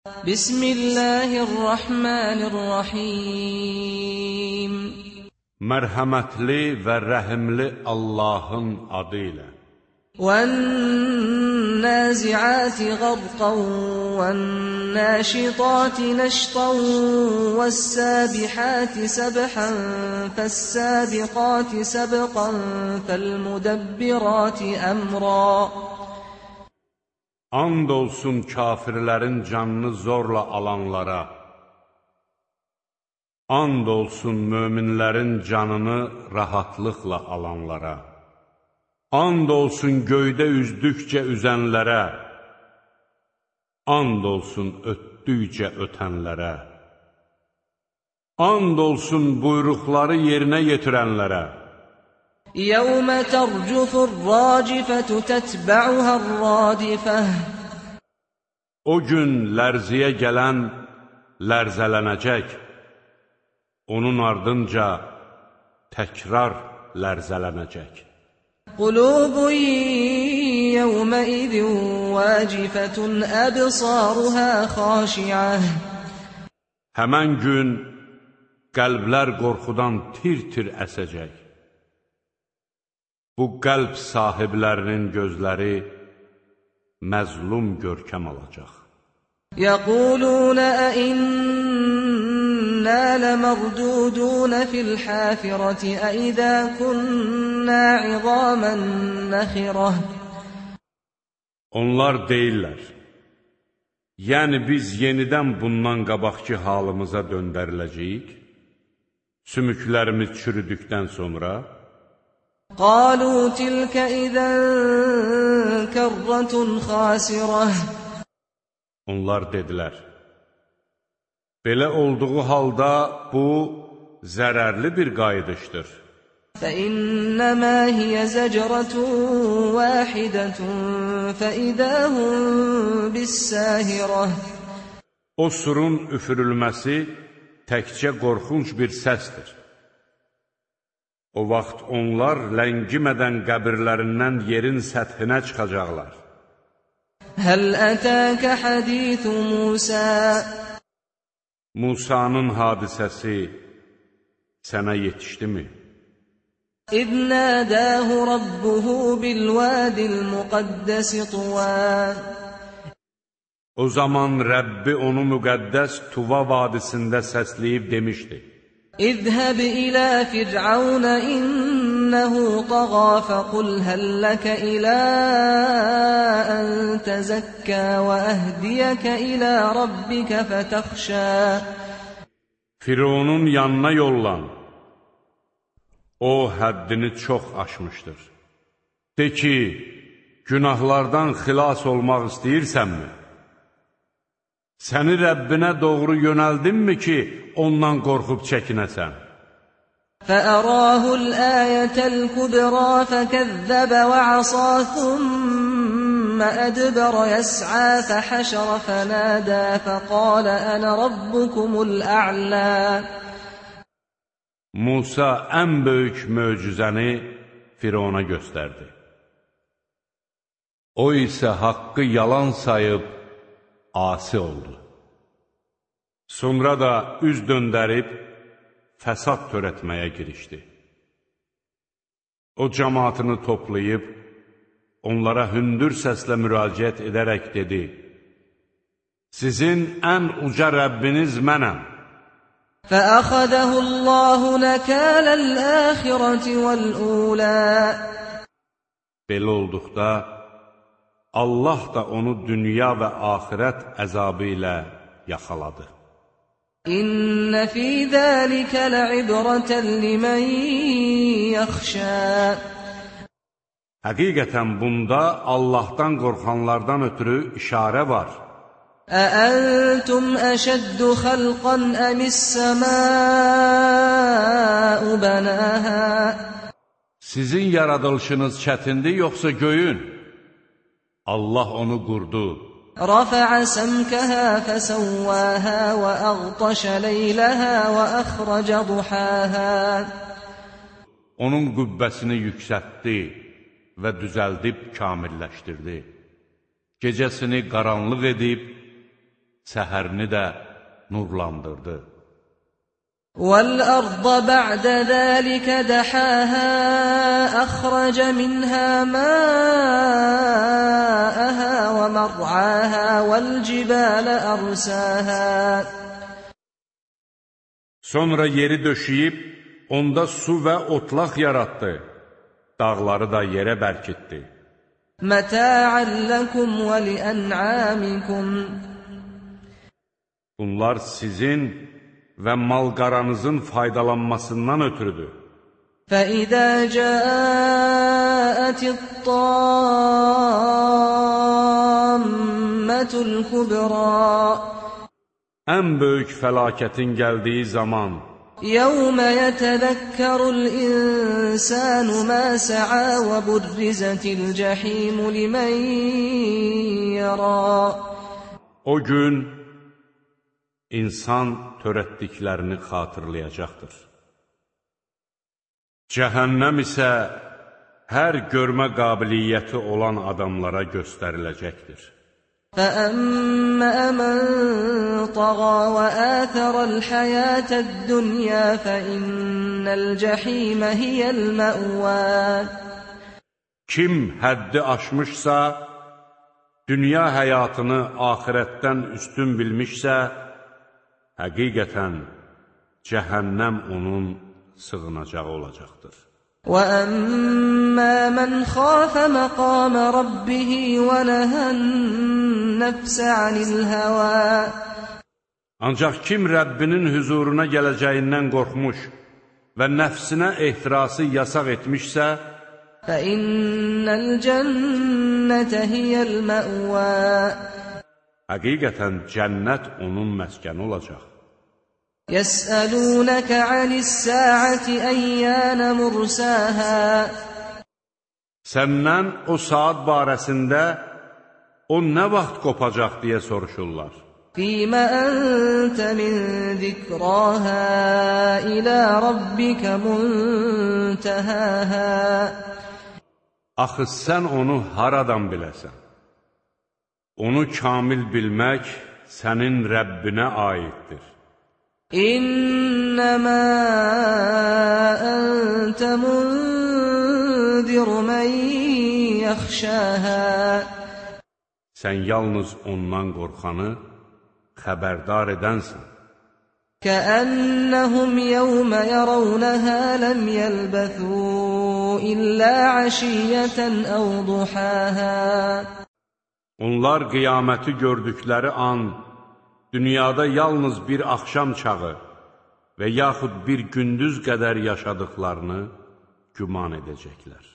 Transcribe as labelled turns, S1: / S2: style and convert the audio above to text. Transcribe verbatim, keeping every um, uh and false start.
S1: Bismillahirrahmanirrahim.
S2: Mərhəmətli və rəhimli Allahın adı ilə.
S1: وَالنَّازِعَاتِ غَرْقًا وَالنَّاشِطَاتِ نَشْطًا وَالسَّابِحَاتِ سَبْحًا فَالسَّابِقَاتِ سَبْقًا فَالْمُدَبِّرَاتِ أَمْرًا.
S2: And olsun kafirlərin canını zorla alanlara, and olsun möminlərin canını rahatlıqla alanlara, and olsun göydə üzdükcə üzənlərə, and olsun ötdükcə ötənlərə, and olsun buyruqları yerinə yetirənlərə.
S1: يَوْمَ تَرْجُفُ الرَّاجِفَةُ تَتْبَعُهَا الرَّادِفَةُ.
S2: O gün lərziyə gələn lərzələnəcək, onun ardınca təkrar lərzələnəcək.
S1: قُلُوبٌ يَوْمَئِذٍ وَاجِفَةٌ أَبْصَارُهَا خَاشِعَةٌ.
S2: Həmən gün qəlblər qorxudan tir-tir əsəcək. Bu qəlb sahiblərinin gözləri məzlum görkəm alacaq.
S1: يَقُولُونَ أَإِنَّا لَمَرْدُودُونَ فِي الْحَافِرَةِ أَإِذَا كُنَّا عِظَامًا نَخِرَةً.
S2: Onlar deyirlər, yəni biz yenidən bundan qabaqki halımıza döndəriləcəyik, sümüklərimiz çürüdükdən sonra.
S1: قالوا تلك إذا كرة خاسرة.
S2: Onlar dedilər, belə olduğu halda bu zərərli bir qayıdışdır.
S1: فإنما هي زجرة واحدة فإذا هم بالساهرة.
S2: O surun üfürülməsi təkcə qorxunc bir səsdir. O vaxt onlar ləngimədən qəbirlərindən yerin səthinə çıxacaqlar.
S1: Həl ətəkə hədithu Musa.
S2: Musanın hadisəsi sənə yetişdimi?
S1: İz nədəhu rabbuhu bil-vədil müqəddəsi Tuva.
S2: O zaman Rəbbi onu müqəddəs Tuva vadisində səsləyib demişdi.
S1: İzhəb ilə Fir'aun innəhu təğa fəqul həlləkə ilə ən təzəkkə və əhdiyəkə ilə rabbikə fətəxşə.
S2: Fironun yanına yollan. O həddini çox aşmışdır. De ki, günahlardan xilas olmaq istəyirsənmi? Səni Rəbbinə doğru yönəldinmi ki, ondan qorxub çəkinəsən?
S1: فَأَرَاهُ الْآيَةَ الْكُبْرَى فَكَذَّبَ وَعَصَى ثُمَّ أَدْبَرَ يَسْعَى فَحَشَرَ فَنَادَى فَقَالَ أَنَا رَبُّكُمُ الْأَعْلَى.
S2: Musa ən böyük möcüzəni Firona göstərdi. O isə haqqı yalan sayıb asi oldu. Sonra da üz döndərib fəsad törətməyə girişdi. O cəmaatını toplayıb onlara hündür səslə müraciət edərək dedi: Sizin ən uca Rəbbiniz mənəm.
S1: فَأَخَذَهُ اللَّهُ نَكَالَ الْآخِرَةِ وَالْأُولَى.
S2: Belə olduqda Allah da onu dünya və axirət əzabı ilə yaxaladı.
S1: İnne fî zâlike le'ibreten limen yaxşâ.
S2: Həqiqətən bunda Allahdan qorxanlardan ötürü işarə var.
S1: Əəntum əşəddu xalqan əmis-səmâ'u bənâhâ.
S2: Sizin yaradılışınız çətindir, yoxsa göyün? Allah onu qurdu.
S1: رفع سمكها فسواها وأغطش ليلها وأخرج ضحاها.
S2: Onun qübbəsini yüksəltdi və düzəldib kamilləşdirdi. Gecəsini qaranlıq edib, səhərini də nurlandırdı.
S1: وَالْأَرْضَ بَعْدَ ذَلِكَ دَحَاهَا أَخْرَجَ مِنْهَا مَاءَهَا وَمَرْعَاهَا وَالْجِبَالَ أَرْسَاهَا
S2: Sonra yeri döşəyib, onda su və otlaq yaratdı. Dağları da yerə bərkitdi.
S1: مَتَاعًا لَكُمْ وَلِأَنْعَامِكُمْ
S2: Bunlar sizin və mal-qaranızın faydalanmasından ötürüdür.
S1: فَإِذَا جَاءَتِ الطَّامَّةُ الْكُبْرَى
S2: Ən böyük fəlakətin gəldiyi zaman
S1: يَوْمَ يَتَذَكَّرُ الْإِنسَانُ مَا سَعَى وَبُرِّزَتِ الْجَحِيمُ لِمَنْ يَرَى
S2: O gün insan törətdiklərini xatırlayacaqdır. Cəhənnəm isə hər görmə qabiliyyəti olan adamlara göstəriləcəkdir.
S1: فَأَمَّا مَنْ طَغَى وَآثَرَ الْحَيَاةَ الدُّنْيَا فَإِنَّ الْجَحِيمَ هِيَ الْمَأْوَى
S2: Kim həddi aşmışsa, dünya həyatını axirətdən üstün bilmişsə, həqiqətən cəhənnəm onun sığınacağı olacaqdır.
S1: وَأَمَّا مَنْ خَافَ مَقَامَ رَبِّهِ وَنَهَى النَّفْسَ عَنِ الْهَوَى
S2: Ancaq kim Rəbbinin hüzuruna gələcəyindən qorxmuş və nəfsinə ehtirası yasaq etmişsə,
S1: فَإِنَّ الْجَنَّةَ هِيَ الْمَأْوَى
S2: həqiqətən cənnət onun məskəni olacaq.
S1: يَسْأَلُونَكَ عَنِ السَّاعَةِ أَيَّانَ مُرْسَاهَا
S2: Səndən o saat barəsində o nə vaxt qopacaq deyə soruşurlar.
S1: فِيمَ أَنْتَ مِنْ ذِكْرَاهَا إِلَى رَبِّكَ مُنْتَهَاهَا
S2: Axı sən onu haradan biləsən? Onu kamil bilmək sənin Rəbbinə aiddir.
S1: إِنَّمَا أَنْتَ مُنْذِرُ مَنْ يَخْشَاهَا
S2: Sən yalnız ondan qorxanı xəbərdar edənsən.
S1: كَأَنَّهُمْ يَوْمَ يَرَوْنَهَا لَمْ يَلْبَثُوا إِلَّا عَشِيَّةً أَوْ ضُحَاهَا
S2: Onlar qiyaməti gördükləri an, dünyada yalnız bir axşam çağı və yaxud bir gündüz qədər yaşadıqlarını güman edəcəklər.